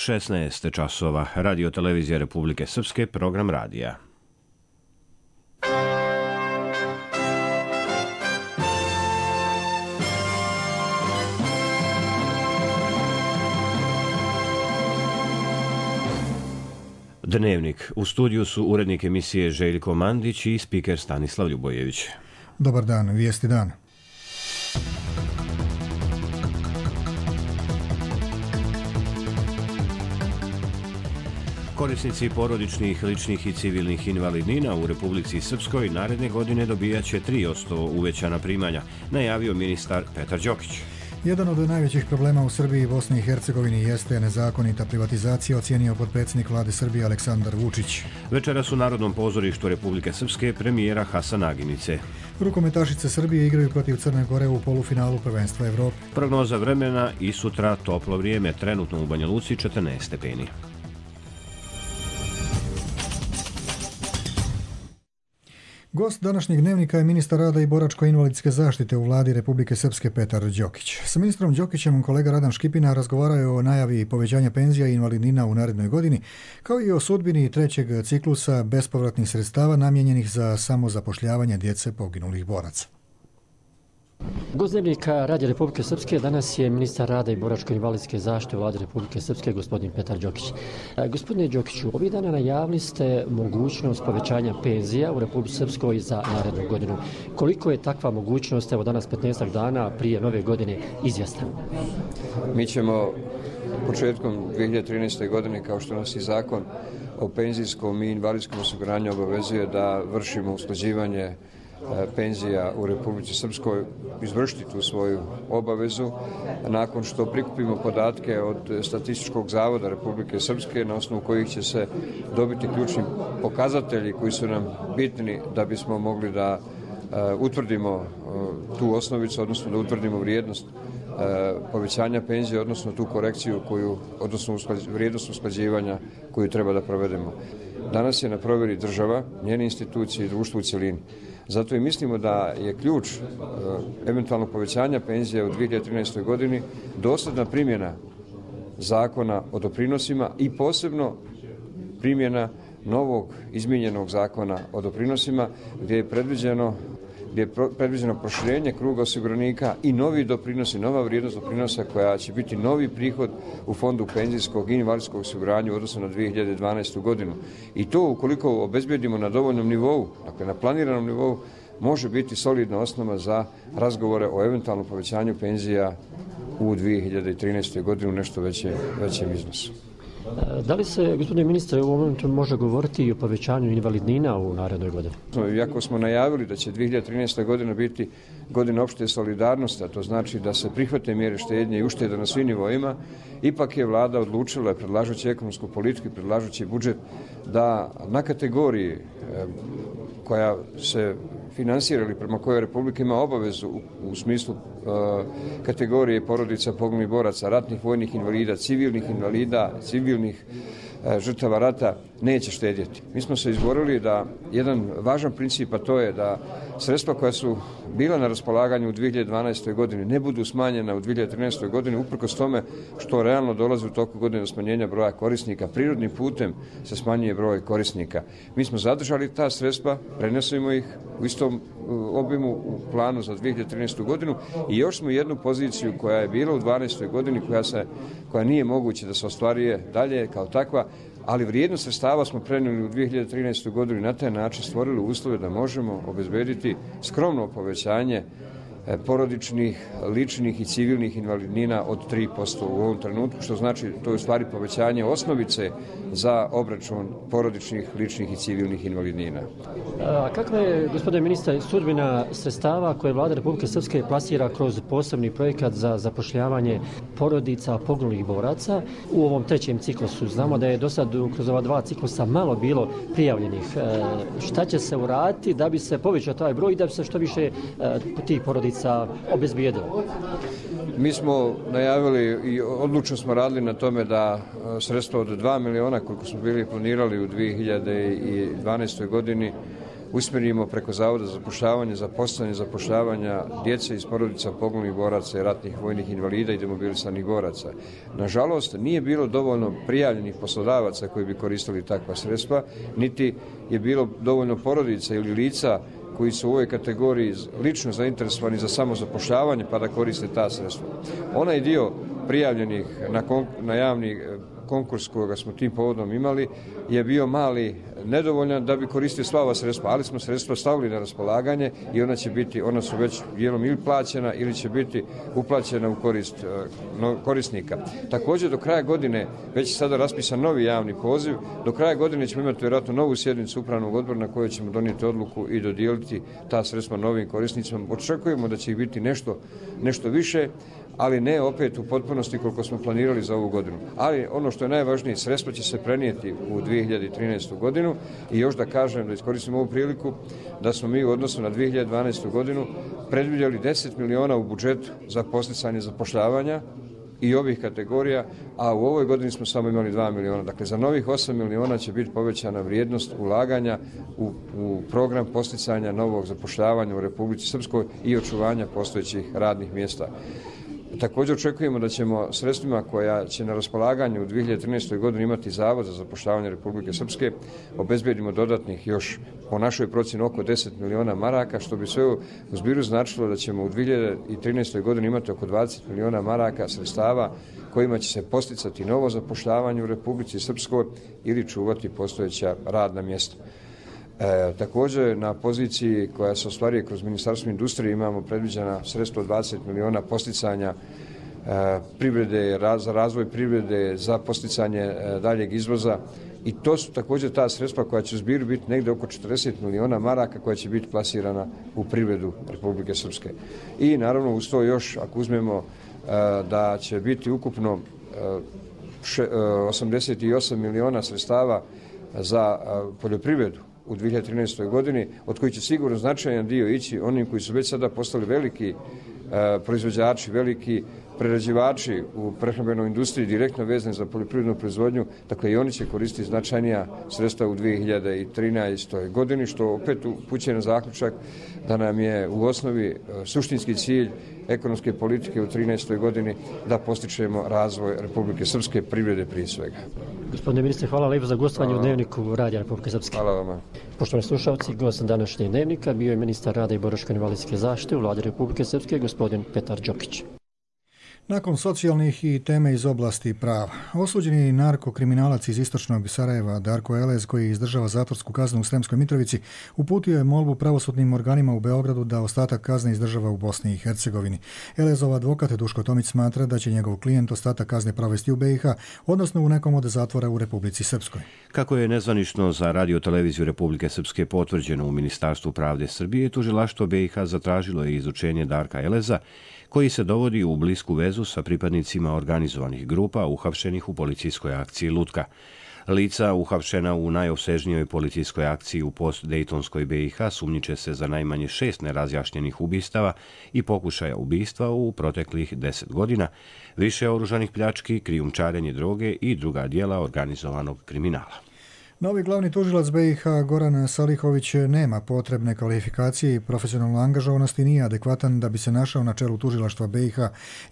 16 časova. Radio televizija Republike Srpske, program radija. Dnevnik. U studiju su urednik emisije Željko Mandić i spiker Stanislav Ljubojević. Dobar dan, vijesti dan. Korisnici porodičnih, ličnih i civilnih invalidnina u Republici Srpskoj naredne godine dobijaće 3% uvećana primanja, najavio ministar Petar Đokić. Jedan od najvećih problema u Srbiji i Bosni i Hercegovini jeste nezakonita privatizacija, ocijenio potpredsjednik vlade Srbije Aleksandar Vučić. Večeras u Narodnom pozorištu Republike Srpske premijera Hasan Aginice. Rukometašice Srbije igraju protiv Crne Gore u polufinalu prvenstva Evrope. Prognoza vremena i sutra toplo vrijeme, trenutno u Banja Luci 14 stepeni. Gost današnjeg dnevnika je ministar rada i boračko-invalidske zaštite u vladi Republike Srpske Petar Đokić. Sa ministrom Đokićem kolega Radan Škipina razgovarao je o najavi povećanja penzija i invalidnina u narednoj godini, kao i o sudbini trećeg ciklusa bespovratnih sredstava namijenjenih za samozapošljavanje djece poginulih boraca. Gost dnevnika Radija Republike Srpske danas je ministar rada i boračko-invalidske zaštite u vladi Republike Srpske, gospodin Petar Đokić. Gospodine Đokiću, ovih dana najavili ste mogućnost povećanja penzija u Republici Srpskoj za narednu godinu. Koliko je takva mogućnost, evo danas 15 dana prije nove godine, izvjesna? Mi ćemo početkom 2013. godine, kao što nas i zakon o penzijskom i invalidskom osiguranju obavezuje da vršimo usklađivanje penzija u Republici Srpskoj, izvršiti tu svoju obavezu nakon što prikupimo podatke od Statističkog zavoda Republike Srpske na osnovu kojih će se dobiti ključni pokazatelji koji su nam bitni da bismo mogli da utvrdimo tu osnovicu, odnosno da utvrdimo vrijednost povećanja penzije, odnosno tu korekciju odnosno vrijednost usklađivanja koju treba da provedemo. Danas je na provjeri država, njene institucije i društvo u cjelini. Zato i mislimo da je ključ eventualnog povećanja penzije u 2013. godini dosljedna primjena zakona o doprinosima i posebno primjena novog izmijenjenog zakona o doprinosima gdje je predviđeno proširenje kruga osiguranika i novi doprinosi, nova vrijednost doprinosa koja će biti novi prihod u fondu penzijskog i invalidskog osiguranja u odnosu na 2012. godinu. I to ukoliko obezbedimo na dovoljnom nivou, dakle na planiranom nivou, može biti solidna osnova za razgovore o eventualnom povećanju penzija u 2013. godinu u nešto većem iznosu. Da li se, gospodine ministre, u ovom momentu može govoriti i o povećanju invalidnina u narednoj godini? Iako smo najavili da će 2013. godina biti godina opšte solidarnosti, a to znači da se prihvate mjere štednje i uštede na svim nivoima, ipak je vlada odlučila, predlažući ekonomsku politiku i predlažući budžet, da na kategoriji koja se finansira ili prema kojoj Republika ima obavezu u smislu kategorije porodica poginulih boraca, ratnih vojnih invalida, civilnih žrtava rata, neće štedjeti. Mi smo se izborili da jedan važan princip, a to je da sredstva koja su bila na raspolaganju u 2012. godini ne budu smanjena u 2013. godini, uprkos tome što realno dolazi u toku godine do smanjenja broja korisnika. Prirodnim putem se smanjuje broj korisnika. Mi smo zadržali ta sredstva, prenesemo ih u istom obimu u planu za 2013. godinu i još smo jednu poziciju koja je bila u 2012. godini, koja nije moguće da se ostvaruje dalje kao takva, ali vrijednost sredstava smo prenijeli u 2013. godinu i na taj način stvorili uslove da možemo obezbediti skromno povećanje porodičnih, ličnih i civilnih invalidnina od 3% u ovom trenutku, što znači to je u stvari povećanje osnovice za obračun porodičnih, ličnih i civilnih invalidnina. Kakva je, gospodine ministre, sudbina sredstava koje vlada Republike Srpske plasira kroz posebni projekat za zapošljavanje porodica poginulih boraca u ovom trećem ciklusu? Znamo da je do sad kroz ova dva ciklusa malo bilo prijavljenih. Šta će se uraditi da bi se povećao taj broj i da bi se što više tih porodica obezbijedilo? Mi smo najavili i odlučno smo radili na tome da sredstva od 2 miliona koliko smo bili planirali u 2012. godini usmjerimo preko Zavoda za zapošljavanje, zapošljavanja djece iz porodica poginulih boraca i ratnih vojnih invalida i demobilisanih boraca. Nažalost, nije bilo dovoljno prijavljenih poslodavaca koji bi koristili takva sredstva, niti je bilo dovoljno porodica ili lica koji su u ovoj kategoriji lično zainteresovani za samozapošljavanje pa da koriste ta sredstva. Onaj dio prijavljenih na javni konkurs koga smo tim povodom imali je bio mali, nedovoljan da bi koristio sva ova sredstva, ali smo sredstva stavili na raspolaganje i ona su već dijelom ili plaćena ili će biti uplaćena u korist korisnika. Također do kraja godine već je sada raspisan novi javni poziv, do kraja godine ćemo imati vjerojatno novu sjednicu upravnog odbora na kojoj ćemo donijeti odluku i dodijeliti ta sredstva novim korisnicima. Očekujemo da će ih biti nešto više, ali ne opet u potpunosti koliko smo planirali za ovu godinu. Ali ono što je najvažnije, sredstva će se prenijeti u 2013. godinu i još da kažem, da iskoristim ovu priliku, da smo mi u odnosu na 2012. godinu predvidjeli 10 miliona u budžetu za podsticanje zapošljavanja i ovih kategorija, a u ovoj godini smo samo imali 2 miliona. Dakle, za novih 8 miliona će biti povećana vrijednost ulaganja u program podsticanja novog zapošljavanja u Republici Srpskoj i očuvanja postojećih radnih mjesta. Također očekujemo da ćemo sredstvima koja će na raspolaganju u 2013. godini imati Zavod za zapošljavanje Republike Srpske obezbedimo dodatnih još po našoj procjeni oko 10 miliona maraka, što bi sve u zbiru značilo da ćemo u 2013. godini imati oko 20 miliona maraka sredstava kojima će se posticati novo zapošljavanje u Republici Srpskoj ili čuvati postojeća radna mjesta. Također na poziciji koja se ostvaruje kroz Ministarstvo industrije imamo predviđena sredstva od 20 miliona posticanja privrede, za razvoj privrede, za posticanje daljeg izvoza i to su također ta sredstva koja će u zbiru biti negdje oko 40 miliona maraka koja će biti plasirana u privredu Republike Srpske. I naravno uz to još ako uzmemo da će biti ukupno 88 miliona sredstava za poljoprivredu u 2013. godini, od kojih će sigurno značajan dio ići onim koji su već sada postali veliki proizvođači, veliki prerađivači u prehrambenoj industriji direktno vezani za poljoprivrednu proizvodnju, dakle i oni će koristiti značajnija sredstva u 2013. godini, što opet upućuje na zaključak da nam je u osnovi suštinski cilj ekonomske politike u 2013. godini da postičemo razvoj Republike Srpske, privrede prije svega. Gospodine ministre, hvala lijepo za gostovanje u Dnevniku Radija Republike Srpske. Hvala vama. Poštovani slušalci, gost današnjeg Dnevnika bio je ministar rada i boračko-invalidske zaštite u Vladi Republike Srpske, gospodin Petar Đokić. Nakon socijalnih i teme iz oblasti prava, osuđeni narkokriminalac iz istočnog Sarajeva Darko Elez, koji izdržava zatvorsku kaznu u Sremskoj Mitrovici, uputio je molbu pravosudnim organima u Beogradu da ostatak kazne izdržava u Bosni i Hercegovini. Elezov advokat Duško Tomić smatra da će njegov klijent ostatak kazne provesti u BiH, odnosno u nekom od zatvora u Republici Srpskoj. Kako je nezvanično za radio-televiziju Republike Srpske potvrđeno u Ministarstvu pravde Srbije, tužilaštvo BiH zatražilo je izučenje Darka Eleza, koji se dovodi u blisku vezu sa pripadnicima organizovanih grupa uhapšenih u policijskoj akciji Lutka. Lica uhapšena u najopsežnijoj policijskoj akciji u post-Dejtonskoj BiH sumnjiče se za najmanje 6 nerazjašnjenih ubistava i pokušaja ubistva u proteklih 10 godina, više oružanih pljački, krijumčarenje droge i druga djela organizovanog kriminala. Novi glavni tužilac BiH Goran Salihović nema potrebne kvalifikacije i profesionalnu angažovanost i nije adekvatan da bi se našao na čelu tužilaštva BiH,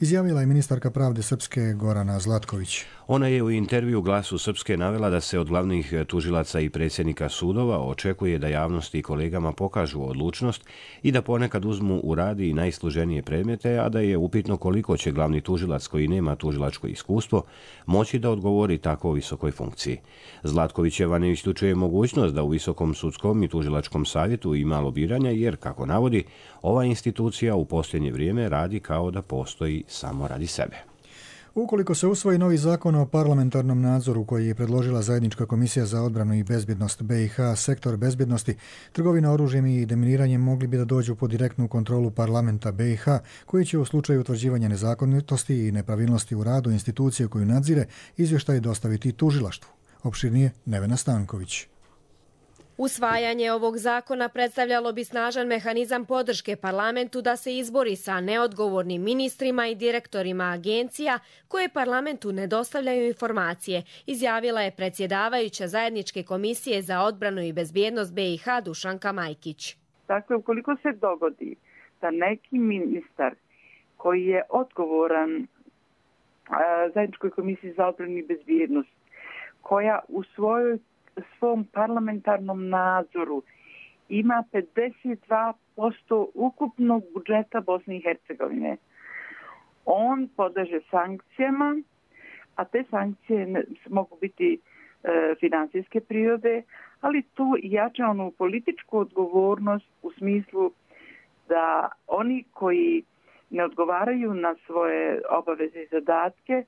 izjavila je ministarka pravde Srpske Gorana Zlatković. Ona je u intervju Glasu Srpske navela da se od glavnih tužilaca i predsjednika sudova očekuje da javnosti i kolegama pokažu odlučnost i da ponekad uzmu u rad i najsloženije predmete, a da je upitno koliko će glavni tužilac koji nema tužilačko iskustvo moći da odgovori tako visokoj funkciji. Zlatkovićeva ne isključuje mogućnost da u Visokom sudskom i tužilačkom savjetu ima lobiranja jer, kako navodi, ova institucija u posljednje vrijeme radi kao da postoji samo radi sebe. Ukoliko se usvoji novi zakon o parlamentarnom nadzoru koji je predložila Zajednička komisija za odbranu i bezbjednost BiH, sektor bezbjednosti, trgovina oružjem i deminiranjem mogli bi da dođu pod direktnu kontrolu parlamenta BiH, koji će u slučaju utvrđivanja nezakonitosti i nepravilnosti u radu institucije koju nadzire izvještaj dostaviti tužilaštvu. Opširnije Nevena Stanković. Usvajanje ovog zakona predstavljalo bi snažan mehanizam podrške parlamentu da se izbori sa neodgovornim ministrima i direktorima agencija koje parlamentu ne dostavljaju informacije, izjavila je predsjedavajuća Zajedničke komisije za odbranu i bezbjednost BiH Dušanka Majkić. Dakle, ukoliko se dogodi da neki ministar koji je odgovoran Zajedničkoj komisiji za odbranu i bezbjednost, koja u svom parlamentarnom nadzoru ima 52% ukupnog budžeta Bosne i Hercegovine, on podleže sankcijama, a te sankcije mogu biti finansijske prirode, ali tu jača onu političku odgovornost u smislu da oni koji ne odgovaraju na svoje obaveze i zadatke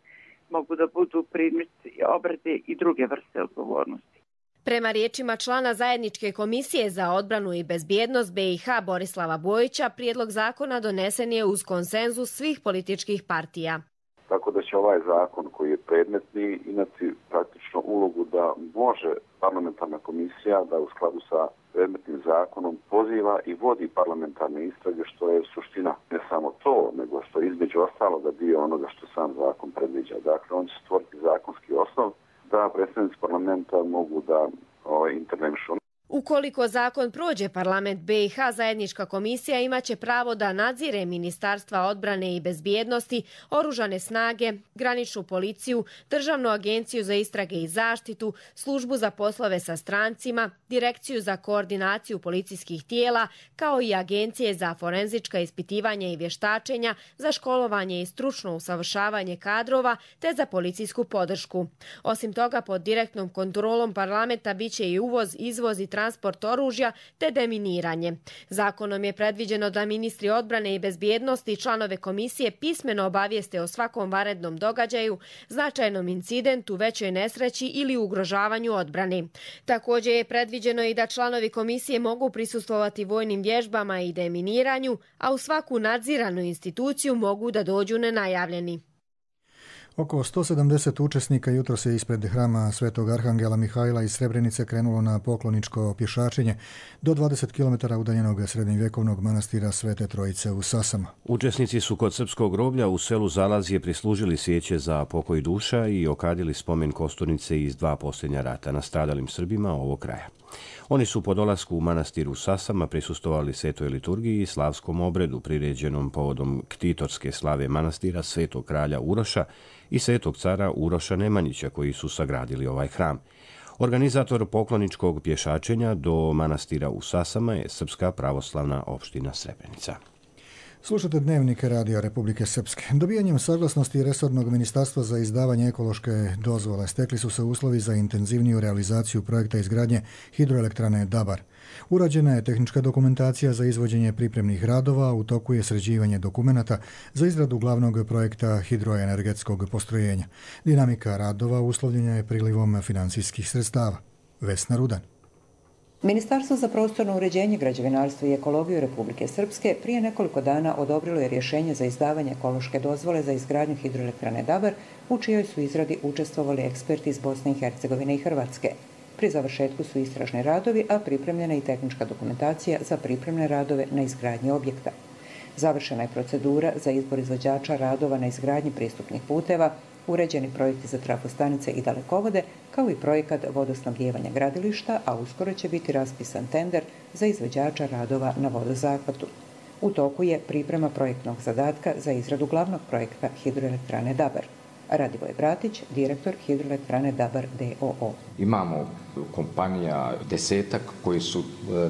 mogu da budu predmet obrade i druge vrste odgovornosti. Prema riječima člana Zajedničke komisije za odbranu i bezbjednost BiH Borislava Bojića, prijedlog zakona donesen je uz konsenzus svih političkih partija. Tako da će ovaj zakon koji je predmetni imati praktično ulogu da može parlamentarna komisija da u skladu sa predmetnim zakonom poziva i vodi parlamentarne istrage, što je suština ne samo to, nego što je između ostaloga dio onoga što sam zakon predviđa. Dakle, on će stvoriti zakonski osnov da predstavnici parlamenta mogu da intervenišu. Ukoliko zakon prođe, parlament BiH Zajednička komisija imaće pravo da nadzire Ministarstva odbrane i bezbjednosti, oružane snage, graničnu policiju, Državnu agenciju za istrage i zaštitu, službu za poslove sa strancima, Direkciju za koordinaciju policijskih tijela, kao i agencije za forenzička ispitivanja i vještačenja, za školovanje i stručno usavršavanje kadrova te za policijsku podršku. Osim toga, pod direktnom kontrolom parlamenta biće i uvoz, izvoz i transport oružja te deminiranje. Zakonom je predviđeno da ministri odbrane i bezbjednosti i članove komisije pismeno obavijeste o svakom vanrednom događaju, značajnom incidentu, većoj nesreći ili ugrožavanju odbrane. Također je predviđeno i da članovi komisije mogu prisustvovati vojnim vježbama i deminiranju, a u svaku nadziranu instituciju mogu da dođu nenajavljeni. Oko 170 učesnika jutro se ispred hrama Svetog Arhangela Mihajla iz Srebrenice krenulo na pokloničko pješačenje do 20 km udaljenog srednjovjekovnog manastira Svete Trojice u Sasama. Učesnici su kod srpskog groblja u selu Zalazije prislužili svijeće za pokoj duša i okadili spomen kosturnice iz 2 posljednja rata nastradalim Srbima ovog kraja. Oni su po dolasku u manastir u Sasama prisustovali svetoj liturgiji i slavskom obredu priređenom povodom ktitorske slave manastira Svetog kralja Uroša i svetog cara Uroša Nemanjića koji su sagradili ovaj hram. Organizator pokloničkog pješačenja do manastira u Sasama je Srpska pravoslavna opština Srebrenica. Slušate dnevnike Radija Republike Srpske. Dobijanjem saglasnosti resornog ministarstva za izdavanje ekološke dozvole stekli su se uslovi za intenzivniju realizaciju projekta izgradnje hidroelektrane Dabar. Urađena je tehnička dokumentacija za izvođenje pripremnih radova, u toku je sređivanje dokumenata za izradu glavnog projekta hidroenergetskog postrojenja. Dinamika radova uslovljena je prilivom financijskih sredstava. Vesna Rudan. Ministarstvo za prostorno uređenje, građevinarstvo i ekologiju Republike Srpske prije nekoliko dana odobrilo je rješenje za izdavanje ekološke dozvole za izgradnju hidroelektrane Dabar, u čijoj su izradi učestvovali eksperti iz Bosne i Hercegovine i Hrvatske. Pri završetku su istražni radovi, a pripremljena i tehnička dokumentacija za pripremne radove na izgradnji objekta. Završena je procedura za izbor izvođača radova na izgradnji pristupnih puteva, uređeni projekti za trafostanice i dalekovode, kao i projekat vodosnabdijevanja gradilišta, a uskoro će biti raspisan tender za izvođača radova na vodozahvatu. U toku je priprema projektnog zadatka za izradu glavnog projekta hidroelektrane Dabar. Radivoje Bratić, direktor hidroelektrane Dabar d.o.o. Imamo kompanija 10 koji su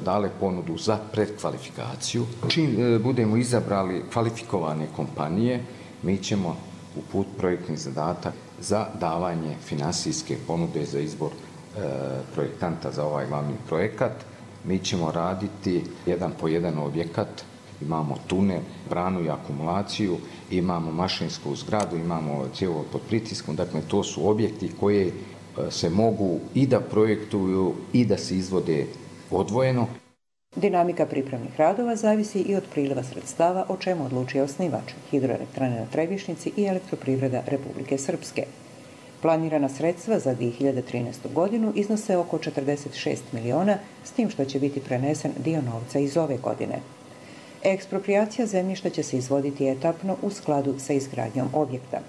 dale ponudu za predkvalifikaciju. Čim budemo izabrali kvalifikovane kompanije, mi ćemo uput projektni zadatak za davanje finansijske ponude za izbor projektanta za ovaj glavni projekat. Mi ćemo raditi jedan po jedan objekat. Imamo tunel, branu i akumulaciju, imamo mašinsku zgradu, imamo cjevovod pod pritiskom. Dakle, to su objekti koje se mogu i da projektuju i da se izvode odvojeno. Dinamika pripremnih radova zavisi i od priliva sredstava, o čemu odlučuje osnivač hidroelektrane na Trebišnjici i Elektroprivreda Republike Srpske. Planirana sredstva za 2013. godinu iznose oko 46 miliona, s tim što će biti prenesen dio novca iz ove godine. Eksproprijacija zemljišta će se izvoditi etapno u skladu sa izgradnjom objekta.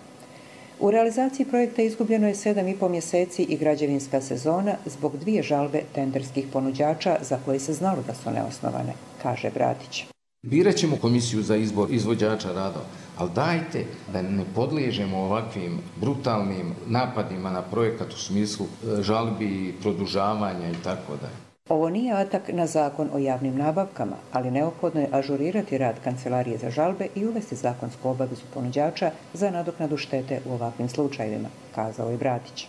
U realizaciji projekta izgubljeno je 7,5 mjeseci i građevinska sezona zbog 2 žalbe tenderskih ponuđača za koje se znalo da su neosnovane, kaže Bratić. Birat ćemo komisiju za izbor izvođača radova, ali dajte da ne podliježemo ovakvim brutalnim napadima na projekat u smislu žalbi, produžavanja i tako dalje. Ovo nije atak na zakon o javnim nabavkama, ali neophodno je ažurirati rad Kancelarije za žalbe i uvesti zakonsku obavezu ponuđača za nadoknadu štete u ovakvim slučajevima, kazao je Bratić.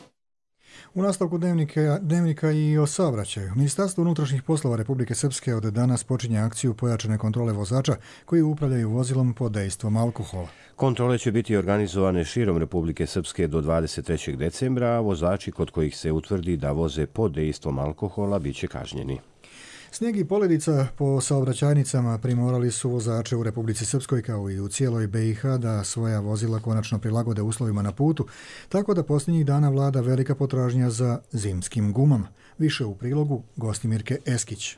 U nastavku dnevnika i o saobraćaju. Ministarstvo unutrašnjih poslova Republike Srpske od danas počinje akciju pojačane kontrole vozača koji upravljaju vozilom pod dejstvom alkohola. Kontrole će biti organizovane širom Republike Srpske do 23. decembra, a vozači kod kojih se utvrdi da voze pod dejstvom alkohola bit će kažnjeni. Snijeg i poledica po saobraćajnicama primorali su vozače u Republici Srpskoj kao i u cijeloj BiH da svoja vozila konačno prilagode uslovima na putu, tako da posljednjih dana vlada velika potražnja za zimskim gumama. Više u prilogu Gostimirke Eskić.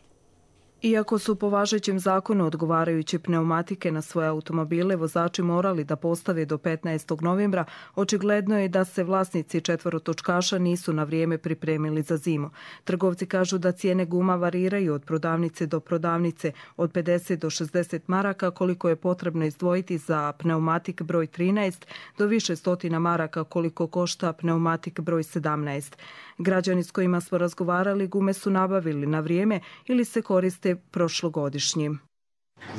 Iako su po važećem zakonu odgovarajuće pneumatike na svoje automobile vozači morali da postave do 15. novembra, očigledno je da se vlasnici četvorotočkaša nisu na vrijeme pripremili za zimu. Trgovci kažu da cijene guma variraju od prodavnice do prodavnice, od 50 do 60 maraka koliko je potrebno izdvojiti za pneumatik broj 13 do više stotina maraka koliko košta pneumatik broj 17. Građani s kojima smo razgovarali gume su nabavili na vrijeme ili se koriste prošlogodišnjim.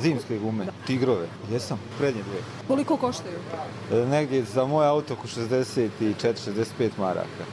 Zimske gume, Tigrove, jesam, prednje dvije. Koliko koštaju? Negdje za moj auto oko 64-65 maraka.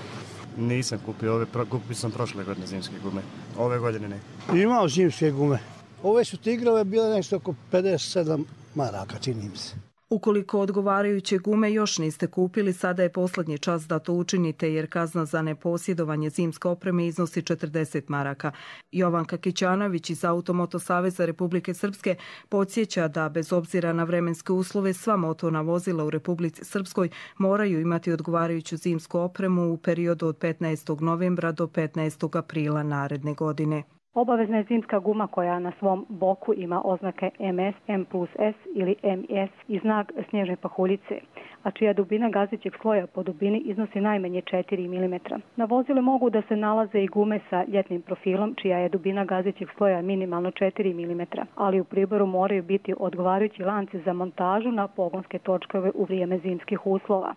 Nisam kupio, kupio sam prošle godine zimske gume, ove godine ne. Imao zimske gume. Ove su Tigrove bile nešto oko 57 maraka, čini mi se. Ukoliko odgovarajuće gume još niste kupili, sada je posljednji čas da to učinite jer kazna za neposjedovanje zimske opreme iznosi 40 maraka. Jovanka Kićanović iz Automoto Saveza Republike Srpske podsjeća da bez obzira na vremenske uslove sva motorna vozila u Republici Srpskoj moraju imati odgovarajuću zimsku opremu u periodu od 15. novembra do 15. aprila naredne godine. Obavezna je zimska guma koja na svom boku ima oznake MS, M+S ili MS i znak snježne pahuljice, a čija dubina gazećeg sloja po dubini iznosi najmanje 4 mm. Na vozilu mogu da se nalaze i gume sa ljetnim profilom, čija je dubina gazećeg sloja minimalno 4 mm, ali u priboru moraju biti odgovarajući lanci za montažu na pogonske točkove u vrijeme zimskih uslova.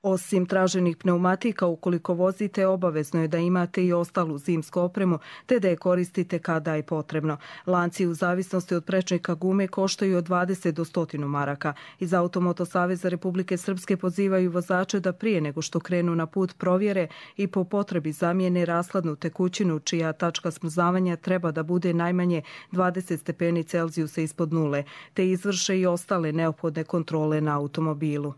Osim traženih pneumatika, ukoliko vozite, obavezno je da imate i ostalu zimsku opremu, te da je koristite kada je potrebno. Lanci u zavisnosti od prečnika gume koštaju od 20 do 100 maraka. Iz Automoto Saveza Republike Srpske pozivaju vozače da prije nego što krenu na put provjere i po potrebi zamijene rashladnu tekućinu, čija tačka smrzavanja treba da bude najmanje 20 stepeni Celzijusa ispod nule, te izvrše i ostale neophodne kontrole na automobilu.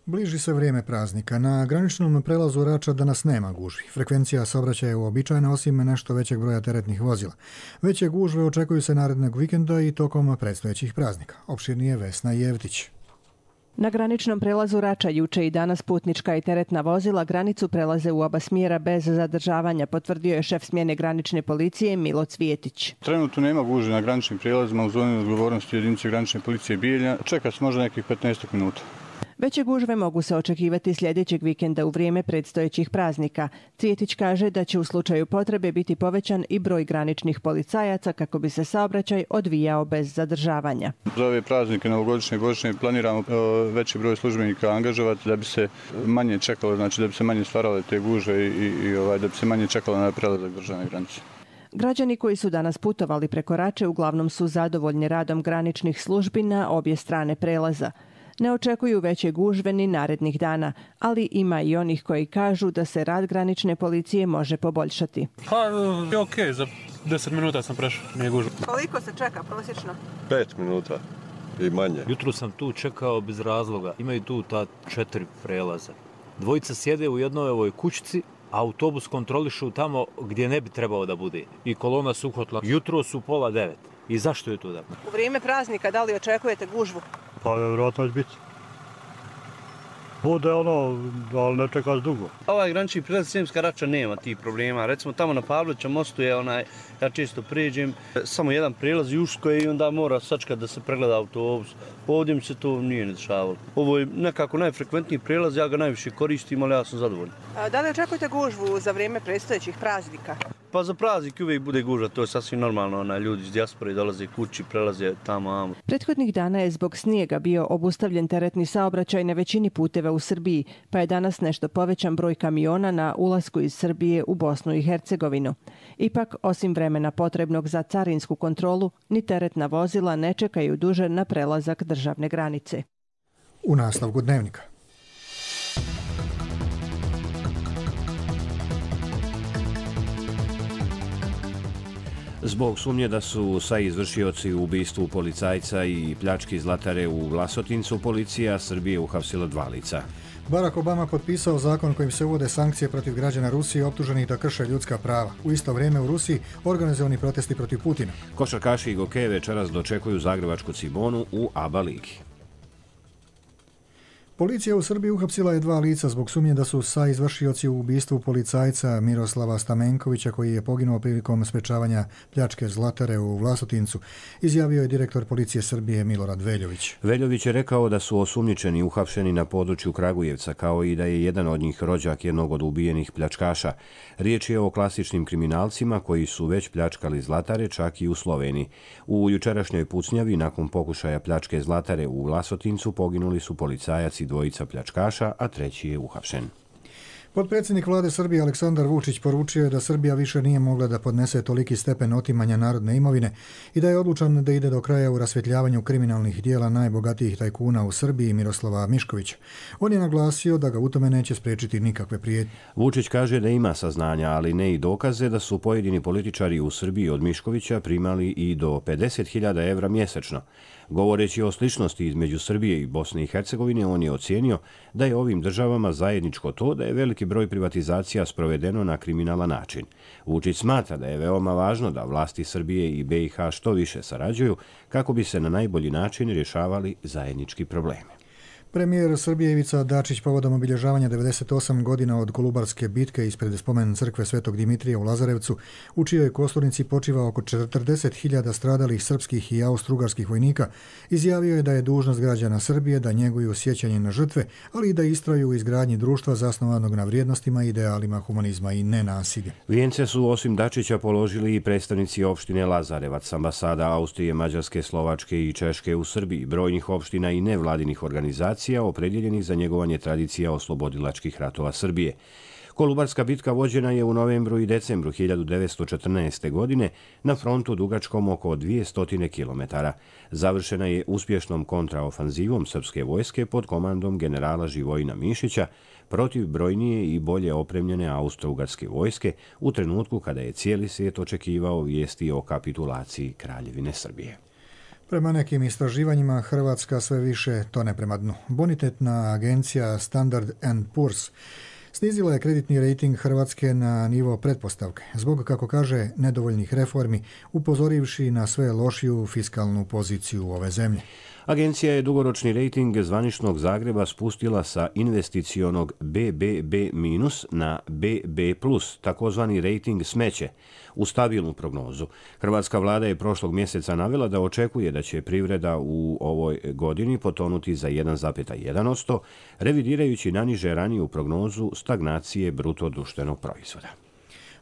Bliži se vrijeme praznika. Na graničnom prelazu Rača danas nema gužvi. Frekvencija saobraćaja je uobičajena osim nešto većeg broja teretnih vozila. Veće gužve očekuju se narednog vikenda i tokom predstojećih praznika. Opširnije Vesna Jevtić. Na graničnom prelazu Rača juče i danas putnička i teretna vozila granicu prelaze u oba smjera bez zadržavanja, potvrdio je šef smjene granične policije Milo Cvijetić. Trenutno nema gužve na graničnim prijelazima u zoni odgovornosti jedinice granične policije Bijeljina. Čeka se možda nekih 15 minuta. Veće gužve mogu se očekivati sljedećeg vikenda u vrijeme predstojećih praznika. Cvijetić kaže da će u slučaju potrebe biti povećan i broj graničnih policajaca kako bi se saobraćaj odvijao bez zadržavanja. Za ove praznike novogodišnje i božićne planiramo veći broj službenika angažovati da bi se manje čekalo, znači da bi se manje stvarale te gužve i da bi se manje čekalo na prelazak državne granice. Građani koji su danas putovali preko Rače uglavnom su zadovoljni radom graničnih službi na obje strane prelaza. Ne očekuju veće gužve ni narednih dana, ali ima i onih koji kažu da se rad granične policije može poboljšati. Pa je okej, za 10 minuta sam prešao, nije gužva. Koliko se čeka prosječno? 5 minuta i manje. Jutro sam tu čekao bez razloga. Imaju tu ta 4 prelaza. Dvojica sjede u jednoj ovoj kućici, a autobus kontrolišu tamo gdje ne bi trebao da bude. I kolona su uhvatila. Jutro su 8:30. I zašto je to da? U vrijeme praznika da li očekujete gužvu? Pa vjerojatno će biti. Bude ali ne čeka dugo. Ovaj granični prilaz Sremska Rača nema tih problema. Recimo tamo na Pavlovića mostu je ja često prijeđem, samo jedan prilaz Juško i onda mora sačekati da se pregleda autobus. Ovdje mi se to nije ne dešavalo. Ovo je nekako najfrekventniji prilaz, ja ga najviše koristim, ali ja sam zadovoljan. Da li očekujete gužvu za vrijeme predstojećih praznika? Pa za praznik uvijek bude gužva, to je sasvim normalno. Ljudi iz dijaspore dolaze kući, prelaze tamo. Prethodnih dana je zbog snijega bio obustavljen teretni saobraćaj na većini puteva u Srbiji, pa je danas nešto povećan broj kamiona na ulasku iz Srbije u Bosnu i Hercegovinu. Ipak, osim vremena potrebnog za carinsku kontrolu, ni teretna vozila ne čekaju duže na prelazak državne granice. U nastavku dnevnika. Zbog sumnje da su izvršioci u ubistvu policajca i pljački zlatare u Vlasotincu, policija Srbije uhapsila 2 lica. Barack Obama potpisao zakon kojim se uvode sankcije protiv građana Rusije optuženih da krše ljudska prava. U isto vrijeme u Rusiji organizovani protesti protiv Putina. Košarkaši i gokeje večeras dočekuju zagrebačku Cibonu u ABA ligi. Policija u Srbiji uhapsila je 2 lica zbog sumnje da su izvršioci u ubistvu policajca Miroslava Stamenkovića koji je poginuo prilikom sprečavanja pljačke zlatare u Vlasotincu, izjavio je direktor policije Srbije Milorad Veljović. Veljović je rekao da su osumnjičeni uhapšeni na području Kragujevca, kao i da je jedan od njih rođak jednog od ubijenih pljačkaša. Riječ je o klasičnim kriminalcima koji su već pljačkali zlatare čak i u Sloveniji. U jučerašnjoj pucnjavi nakon pokušaja pljačke zlatare u Vlasotincu poginuli su policajac i 2 pljačkaša, a 3 je uhapšen. Potpredsjednik vlade Srbije Aleksandar Vučić poručio je da Srbija više nije mogla da podnese toliki stepen otimanja narodne imovine i da je odlučan da ide do kraja u rasvjetljavanju kriminalnih dijela najbogatijih tajkuna u Srbiji Miroslava Miškovića. On je naglasio da ga u tome neće spriječiti nikakve prijetnje. Vučić kaže da ima saznanja, ali ne i dokaze da su pojedini političari u Srbiji od Miškovića primali i do 50.000 evra mjesečno. Govoreći o sličnosti između Srbije i Bosne i Hercegovine, on je ocijenio da je ovim državama zajedničko to da je veliki broj privatizacija sprovedeno na kriminalan način. Vučić smatra da je veoma važno da vlasti Srbije i BiH što više sarađuju kako bi se na najbolji način rješavali zajednički problemi. Premijer Srbije Ivica Dačić povodom obilježavanja 98 godina od Kolubarske bitke ispred spomen crkve Svetog Dimitrija u Lazarevcu, u čijoj kosturnici počiva oko 40.000 stradalih srpskih i austrougarskih vojnika, izjavio je da je dužnost građana Srbije da njeguju sjećanje na žrtve, ali i da istraju u izgradnji društva zasnovanog na vrijednostima i idealima humanizma i nenasilja. Vijence su osim Dačića položili i predstavnici opštine Lazarevac, ambasada Austrije, Mađarske, Slovačke i Češke u Srbiji, brojnih opština i nevladinih organizacija opredjeljenih za njegovanje tradicija oslobodilačkih ratova Srbije. Kolubarska bitka vođena je u novembru i decembru 1914. godine na frontu dugačkom oko 200 km. Završena je uspješnom kontraofanzivom srpske vojske pod komandom generala Živojina Mišića protiv brojnije i bolje opremljene austrougarske vojske u trenutku kada je cijeli svijet očekivao vijesti o kapitulaciji Kraljevine Srbije. Prema nekim istraživanjima, Hrvatska sve više tone prema dnu. Bonitetna agencija Standard & Poor's snizila je kreditni rejting Hrvatske na nivo pretpostavke, zbog, kako kaže, nedovoljnih reformi, upozorivši na sve lošiju fiskalnu poziciju ove zemlje. Agencija je dugoročni rejting zvaničnog Zagreba spustila sa investicionog BBB- na BB+, takozvani rejting smeće, u stabilnu prognozu. Hrvatska vlada je prošlog mjeseca navela da očekuje da će privreda u ovoj godini potonuti za 1,1%, revidirajući naniže raniju prognozu stagnacije bruto društvenog proizvoda.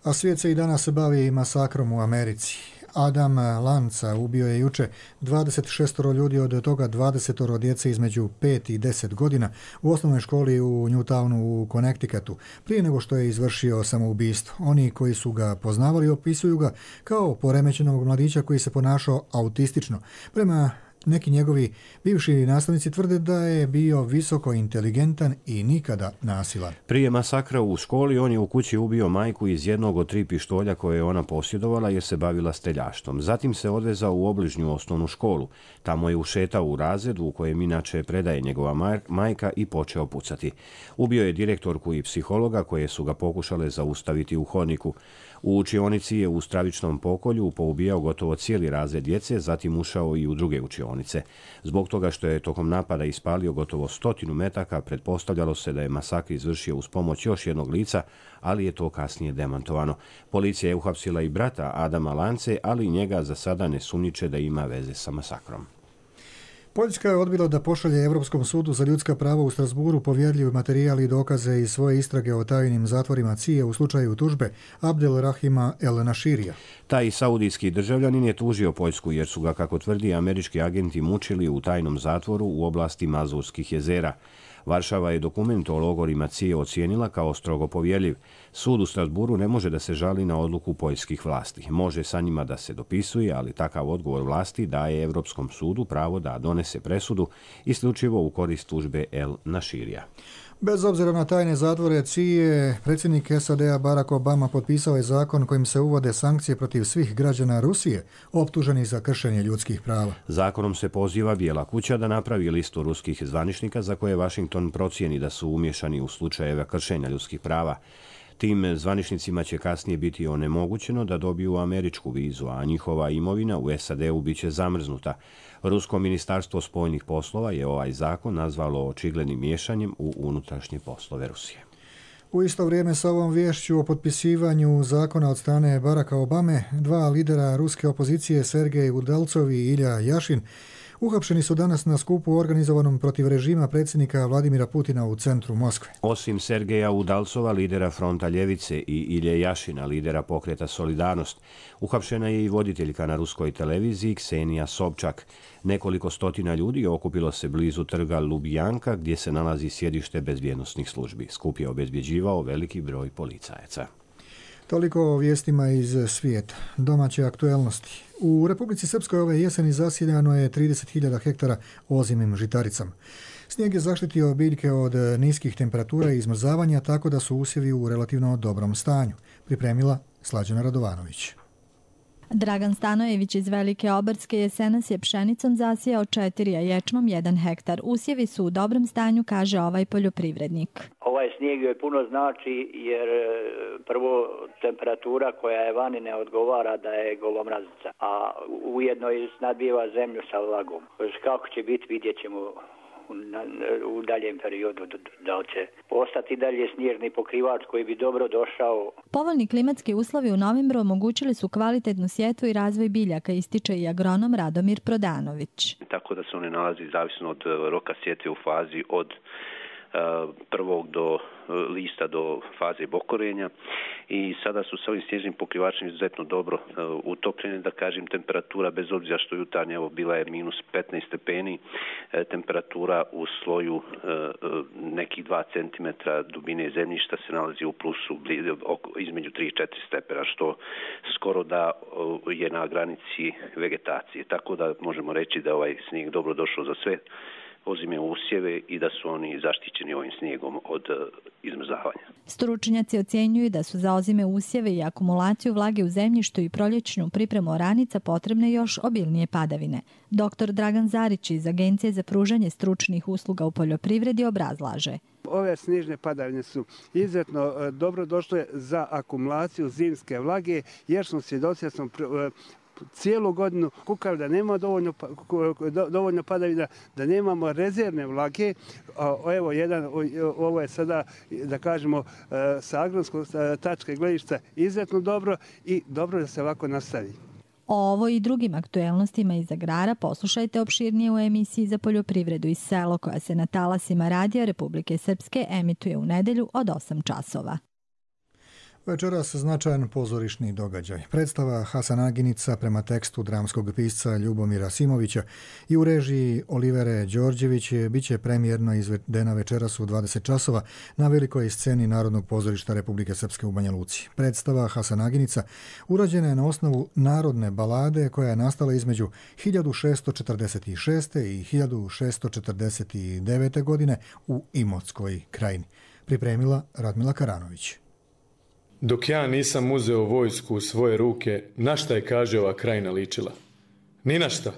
A svijet se i danas bavi masakrom u Americi. Adam Lanza ubio je juče 26 ljudi, od toga 20 djece između 5 i 10 godina u osnovnoj školi u Newtownu u Connecticutu, prije nego što je izvršio samoubistvo. Oni koji su ga poznavali opisuju ga kao poremećenog mladića koji se ponašao autistično. Prema neki njegovi bivši nastavnici tvrde da je bio visoko inteligentan i nikada nasilan. Prije masakra u školi on je u kući ubio majku iz jednog od 3 pištolja koje je ona posjedovala jer se bavila streljaštvom. Zatim se odvezao u obližnju osnovnu školu. Tamo je ušetao u razred u kojem inače predaje njegova majka i počeo pucati. Ubio je direktorku i psihologa koje su ga pokušale zaustaviti u hodniku. U učionici je u stravičnom pokolju poubijao gotovo cijeli razred djece, zatim ušao i u druge učionice. učionice. Zbog toga što je tokom napada ispalio gotovo 100 metaka, pretpostavljalo se da je masakr izvršio uz pomoć još jednog lica, ali je to kasnije demantovano. Policija je uhapsila i brata Adama Lance, ali njega za sada ne sumnjiče da ima veze sa masakrom. Poljska je odbila da pošalje Europskom sudu za ljudska prava u Strasburu povjerljiv materijal i dokaze iz svoje istrage o tajnim zatvorima CIA u slučaju tužbe Abdelrahima El Nashirija. Taj saudijski državljanin je tužio Poljsku jer su ga, kako tvrdi, američki agenti mučili u tajnom zatvoru u oblasti Mazurskih jezera. Varšava je dokument o logorima CIA ocijenila kao strogo povjerljiv. Sud u Strasburu ne može da se žali na odluku poljskih vlasti. Može sa njima da se dopisuje, ali takav odgovor vlasti daje Europskom sudu pravo da donese presudu isključivo u korist tužbe El Nashirija. Bez obzira na tajne zatvore CIA, predsjednik SAD-a Barack Obama potpisao je zakon kojim se uvode sankcije protiv svih građana Rusije optuženih za kršenje ljudskih prava. Zakonom se poziva Bijela kuća da napravi listu ruskih zvaničnika za koje Washington procijeni da su umješani u slučajeve kršenja ljudskih prava. Tim zvaničnicima će kasnije biti onemogućeno da dobiju američku vizu, a njihova imovina u SAD-u bit će zamrznuta. Rusko ministarstvo spoljnih poslova je ovaj zakon nazvalo očiglednim miješanjem u unutrašnje poslove Rusije. U isto vrijeme sa ovom viješću o potpisivanju zakona od strane Baracka Obame, dva lidera ruske opozicije Sergej Udalcov i Ilja Jašin uhapšeni su danas na skupu organizovanom protiv režima predsjednika Vladimira Putina u centru Moskve. Osim Sergeja Udalcova, lidera Fronta ljevice, i Ilje Jašina, lidera pokreta Solidarnost, uhapšena je i voditeljka na ruskoj televiziji Ksenija Sobčak. Nekoliko stotina ljudi okupilo se blizu trga Lubjanka, gdje se nalazi sjedište bezbjednosnih službi. Skup je obezbjeđivao veliki broj policajaca. Toliko o vijestima iz svijeta. Domaće aktuelnosti. U Republici Srpskoj ove jeseni zasijano je 30.000 hektara ozimim žitaricama. Snijeg je zaštitio biljke od niskih temperatura i izmrzavanja, tako da su usjevi u relativno dobrom stanju. Pripremila Slađana Radovanović. Dragan Stanojević iz Velike Obrske jesenas je pšenicom zasijao 4, a ječmom 1 hektar. Usjevi su u dobrom stanju, kaže ovaj poljoprivrednik. Ovaj snijeg joj puno znači jer prvo temperatura koja je vani ne odgovara da je golomrazica, a ujedno i nadbijeva zemlju sa vlagom. Kako će biti, vidjet ćemo u daljem periodu, da će ostati dalje snježni pokrivač koji bi dobro došao. Povoljni klimatski uslovi u novembru omogućili su kvalitetnu sjetvu i razvoj biljaka, ističe i agronom Radomir Prodanović. Tako da se one nalazi zavisno od roka sjetve u fazi od prvog do lista do faze bokorenja i sada su s ovim snježnim pokrivačem izuzetno dobro utopljene, da kažem, temperatura bez obzira što jutarnje evo bila je minus 15 stepeni, temperatura u sloju nekih 2 cm dubine zemljišta se nalazi u plusu između 3 i 4 stepena, što skoro da je na granici vegetacije, tako da možemo reći da ovaj snijeg dobro došao za sve ozime usjeve i da su oni zaštićeni ovim snijegom od izmrzavanja. Stručnjaci ocjenjuju da su za ozime usjeve i akumulaciju vlage u zemljištu i proljećnu pripremu oranica potrebne još obilnije padavine. Dr. Dragan Zarić iz Agencije za pružanje stručnih usluga u poljoprivredi obrazlaže. Ove snježne padavine su izuzetno dobro došle za akumulaciju zimske vlage, jer smo svjedoci da smo cijelu godinu kukali da nema dovoljno padavina, da nemamo rezervne vlage. Evo ovo je sada, da kažemo, sa agronskog tačke gledišta izuzetno dobro i dobro da se ovako nastavi. O ovo i drugim aktuelnostima iz agrara poslušajte opširnije u emisiji za poljoprivredu i selo koja se na talasima Radija Republike Srpske emituje u nedjelju od 8 časova. Večeras značajan pozorišni događaj. Predstava Hasan Aginica prema tekstu dramskog pisca Ljubomira Simovića i u režiji Olivere Đorđević biće premijerno izvedena večeras u 20 časova na velikoj sceni Narodnog pozorišta Republike Srpske u Banja Luci. Predstava Hasan Aginica urađena je na osnovu narodne balade koja je nastala između 1646. i 1649. godine u Imotskoj krajini. Pripremila Radmila Karanović. Dok ja nisam uzeo vojsku u svoje ruke, na šta je, kaže, ova krajina ličila? Ni na šta.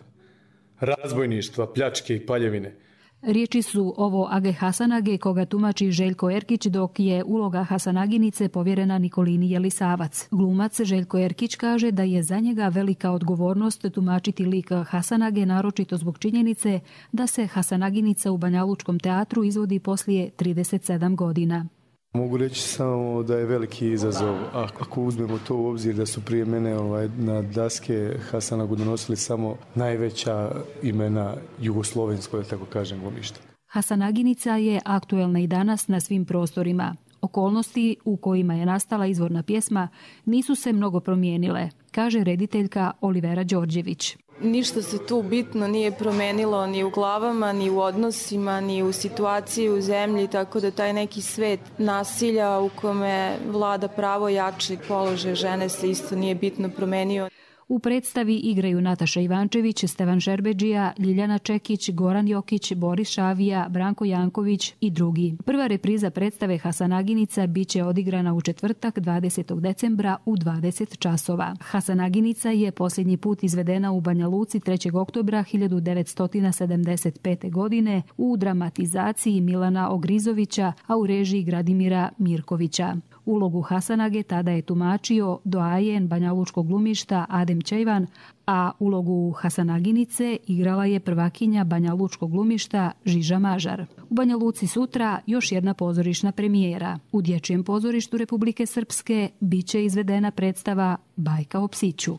Razbojništva, pljačke i paljevine. Riječi su ovo Age Hasanage, koga tumači Željko Erkić, dok je uloga Hasanaginice povjerena Nikolini Jelisavac. Glumac Željko Erkić kaže da je za njega velika odgovornost tumačiti lik Hasanage, naročito zbog činjenice da se Hasanaginica u Banjalučkom teatru izvodi poslije 37 godina. Mogu reći samo da je veliki izazov, ako uzmemo to u obzir da su prije mene na daske Hasanagu donosili samo najveća imena jugoslovenskog, da tako kažem, glumišta. Hasanaginica je aktuelna i danas na svim prostorima. Okolnosti u kojima je nastala izvorna pjesma nisu se mnogo promijenile, kaže rediteljka Olivera Đorđević. Ništa se tu bitno nije promenilo ni u glavama, ni u odnosima, ni u situaciji u zemlji, tako da taj neki svet nasilja u kome vlada pravo jačeg položaja žene se isto nije bitno promenio. U predstavi igraju Nataša Ivančević, Stevan Šerbedžija, Ljiljana Čekić, Goran Jokić, Boris Šavija, Branko Janković i drugi. Prva repriza predstave Hasanaginica biće odigrana u četvrtak 20. decembra u 20 časova. Hasanaginica je posljednji put izvedena u Banja Luci 3. oktobra 1975. godine u dramatizaciji Milana Ogrizovića, a u režiji Gradimira Mirkovića. Ulogu Hasanage tada je tumačio doajen banjalučkog glumišta Adem Čejvan, a ulogu Hasanaginice igrala je prvakinja banjalučkog glumišta Žiža Mažar. U Banja Luci sutra još jedna pozorišna premijera. U Dječjem pozorištu Republike Srpske biće izvedena predstava Bajka o psiću.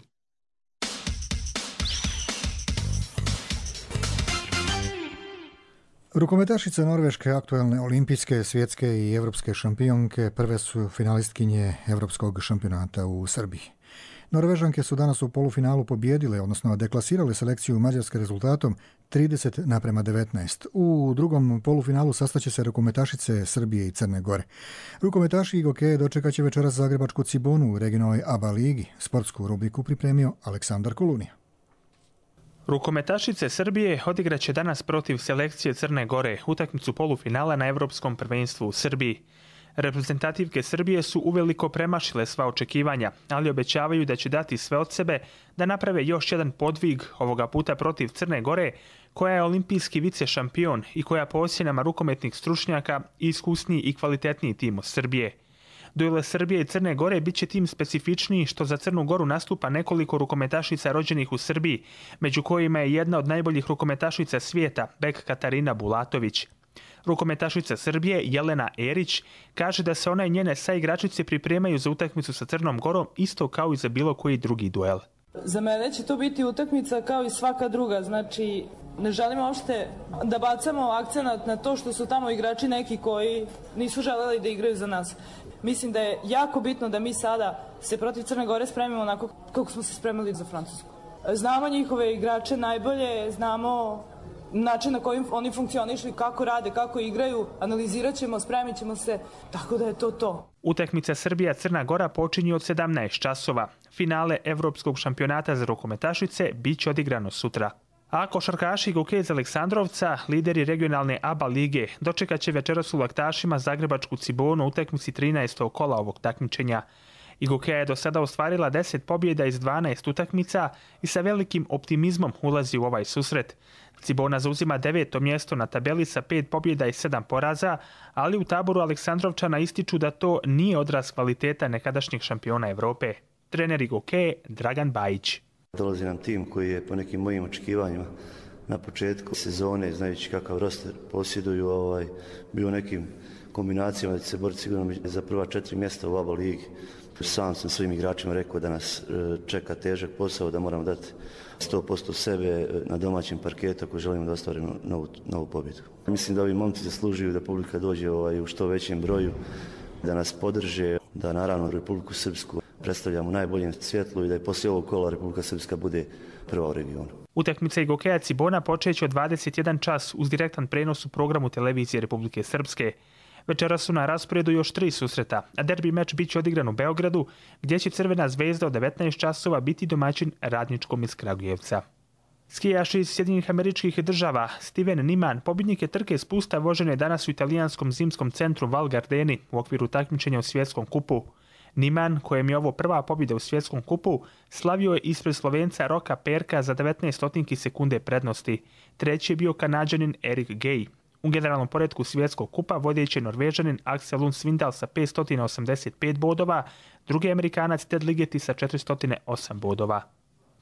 Rukometašice Norveške, aktuelne olimpijske, svjetske i evropske šampionke, prve su finalistkinje Evropskog šampionata u Srbiji. Norvežanke su danas u polufinalu pobijedile, odnosno deklasirale selekciju Mađarske rezultatom 30:19. U drugom polufinalu sastaće se rukometašice Srbije i Crne Gore. Rukometaši i gokeje dočekat će večeras zagrebačku Cibonu u regionalnoj ABA ligi. Sportsku rubriku pripremio Aleksandar Kolunija. Rukometašice Srbije odigraće danas protiv selekcije Crne Gore utakmicu polufinala na Evropskom prvenstvu u Srbiji. Reprezentativke Srbije su uveliko premašile sva očekivanja, ali obećavaju da će dati sve od sebe da naprave još jedan podvig, ovoga puta protiv Crne Gore, koja je olimpijski vice šampion i koja po ocjenama rukometnih stručnjaka iskusniji i kvalitetniji tim od Srbije. Duele Srbije i Crne Gore bit će tim specifičniji što za Crnu Goru nastupa nekoliko rukometašica rođenih u Srbiji, među kojima je jedna od najboljih rukometašica svijeta, bek Katarina Bulatović. Rukometašica Srbije Jelena Erić kaže da se ona i njene saigračice pripremaju za utakmicu sa Crnom Gorom isto kao i za bilo koji drugi duel. Za mene će to biti utakmica kao i svaka druga, znači ne želimo uopšte da bacamo akcenat na to što su tamo igrači neki koji nisu želeli da igraju za nas. Mislim da je jako bitno da mi sada se protiv Crne Gore spremimo onako kako smo se spremili za Francusku. Znamo njihove igrače najbolje, znamo način na koji oni funkcionišu, kako rade, kako igraju, analizirat ćemo, spremit ćemo se, tako da je to. Utakmica Srbija-Crna Gora počinje od 17 časova. Finale Evropskog šampionata za rukometašice bit će odigrano sutra. A košarkaši Gokeje iz Aleksandrovca, lideri regionalne ABA lige, dočekat će večeras u Laktašima zagrebačku Cibonu u utakmici 13. kola ovog takmičenja. I Gokeja je do sada ostvarila 10 pobjeda iz 12 utakmica i sa velikim optimizmom ulazi u ovaj susret. Cibona zauzima 9. mjesto na tabeli sa 5 pobjeda i 7 poraza, ali u taboru Aleksandrovčana ističu da to nije odraz kvaliteta nekadašnjih šampiona Evrope. Trener Gokeje Dragan Bajić. Dolazi nam tim koji je po nekim mojim očekivanjima na početku sezone, znajući kakav roster posjeduju, bio u nekim kombinacijama da će se boriti sigurno za prva 4 mjesta u ABA ligi. Sam sam svojim igračima rekao da nas čeka težak posao, da moramo dati 100% sebe na domaćem parketu ako želimo da ostvarimo novu pobjedu. Mislim da ovi momci zaslužuju da publika dođe u što većem broju, da nas podrže, da naravno Republiku Srpsku predstavljamo u najboljem svjetlu i da je poslije ovog kola Republika Srpska bude prva u regionu. Utakmica Gokeja Cibona počeće od 21 čas uz direktan prenos u programu televizije Republike Srpske. Večera su na rasporedu još 3 susreta, a derbi meč bit će odigran u Beogradu, gdje će Crvena zvezda od 19 časova biti domaćin Radničkom iz Kragujevca. Skijaš iz Sjedinjenih Američkih Država Steven Niman, pobjednik je trke spusta vožene danas u italijanskom zimskom centru Val Gardeni u okviru takmičenja u svjetskom kupu. Niman, kojem je ovo prva pobjeda u svjetskom kupu, slavio je ispred Slovenca Roka Perka za 19 sekunde prednosti. Treći je bio Kanađanin Erik Gay. U generalnom poretku svjetskog kupa vodeći je Norvežanin Axel Lund Svindal sa 585 bodova, drugi Amerikanac Ted Ligeti sa 408 bodova.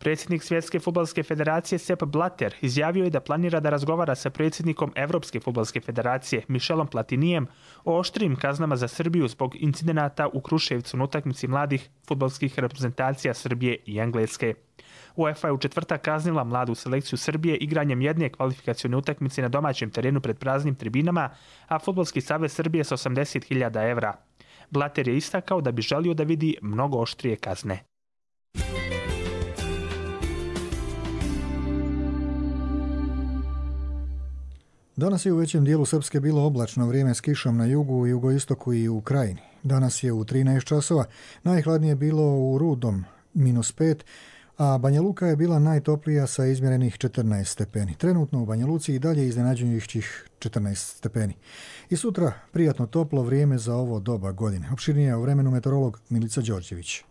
Predsjednik Svjetske fudbalske federacije Sepp Blatter izjavio je da planira da razgovara sa predsjednikom Evropske fudbalske federacije Michelom Platinijem o oštrijim kaznama za Srbiju zbog incidenata u Kruševcu na utakmici mladih fudbalskih reprezentacija Srbije i Engleske. UEFA je u četvrtak kaznila mladu selekciju Srbije igranjem jedne kvalifikacione utakmice na domaćem terenu pred praznim tribinama, a Fudbalski savez Srbije sa 80.000 evra. Blatter je istakao da bi želio da vidi mnogo oštrije kazne. Danas je u većem dijelu Srpske bilo oblačno vrijeme s kišom na jugu, jugoistoku i u krajini. Danas je u 13 časova, najhladnije bilo u Rudom, -5, a Banja Luka je bila najtoplija sa izmjerenih 14 stepeni. Trenutno u Banja Luci i dalje iznenađujućih 14 stepeni. I sutra prijatno toplo vrijeme za ovo doba godine. Opširnije o vremenu meteorolog Milica Đorđević.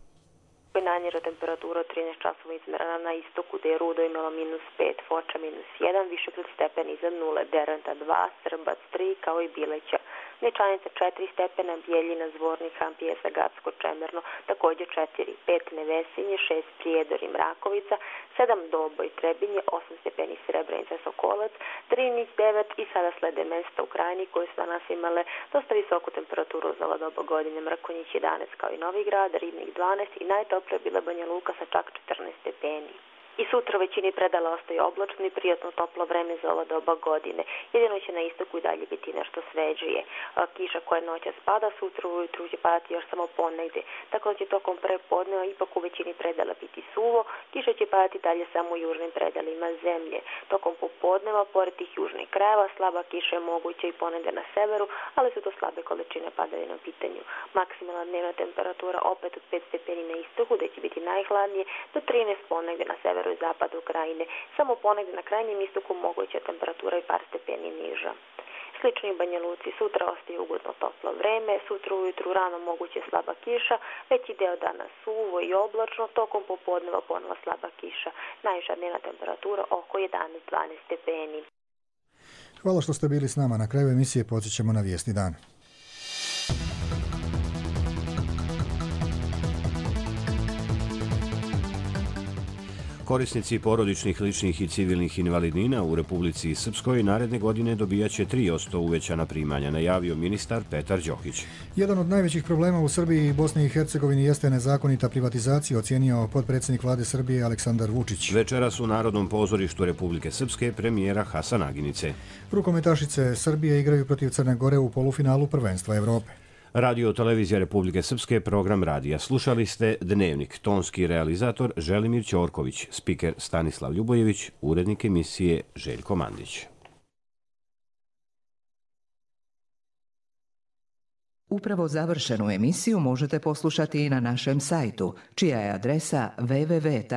Najniža temperatura 13 časova izmerena na istoku, da je Rudo imala -5, Foča -1, Višegrad stepeni iznad 0, Derventa 2, Srbac 3, kao i Bileća. Ničanica 4 stepena, Bijeljina, Zvornik, Hampijesa, Gacko, Čemerno, također 4, 5 Nevesinje, 6 Prijedor i Mrakovica, 7 Doboj, Trebinje, 8 stepeni Srebrenica, Sokolac, Drinić 9 i sada slede mesta u Krajini koje su danas imale dosta visoku temperaturu za ova doba godine. Mrkonjić 11 kao i Novi Grad, Ribnik 12 i najtoplija bila Banja Luka sa čak 14 stepeni. I sutra u većini predala ostaje oblačno i prijatno toplo vreme za ova doba godine. Jedino će na istoku i dalje biti nešto svežije. Kiša koja noća spada, sutra ujutru će padati još samo ponegdje. Tako da će tokom prepodneva ipak u većini predala biti suvo. Kiša će padati dalje samo u južnim predalima zemlje. Tokom popodneva, pored tih južnih krajeva, slaba kiša je moguća i ponegdje na severu, ali su to slabe količine padavina u pitanju. Maksimalna dnevna temperatura opet od 5 stepeni na istoku, da će biti najhladnije, do 13 ponegdje na severu i zapadu Krajine. Samo ponegdje na krajnjem istoku moguća temperatura i par stepeni niža. Slično i Banja Luci, sutra ostaje ugodno toplo vreme, sutra ujutru rano moguće slaba kiša, veći deo dana suvo i oblačno, tokom popodneva ponovo slaba kiša. Najviša dnevna temperatura oko 11-12 stepeni. Hvala što ste bili s nama. Na kraju emisije podsjećamo na vijesti dana. Korisnici porodičnih, ličnih i civilnih invalidnina u Republici Srpskoj naredne godine dobijaće 3% uvećana primanja, najavio ministar Petar Đokić. Jedan od najvećih problema u Srbiji i Bosni i Hercegovini jeste nezakonita privatizacija, ocijenio potpredsjednik vlade Srbije Aleksandar Vučić. Večeras u Narodnom pozorištu Republike Srpske premijera Hasan Aginice. Rukometašice Srbije igraju protiv Crne Gore u polufinalu prvenstva Evrope. Radio televizija Republike Srpske, program radija. Slušali ste Dnevnik, tonski realizator Želimir Ćorković, spiker Stanislav Ljubojević, urednik emisije Željko Mandić. Upravo završenu emisiju možete poslušati i na našem sajtu, čija je adresa www.rtrs.tv.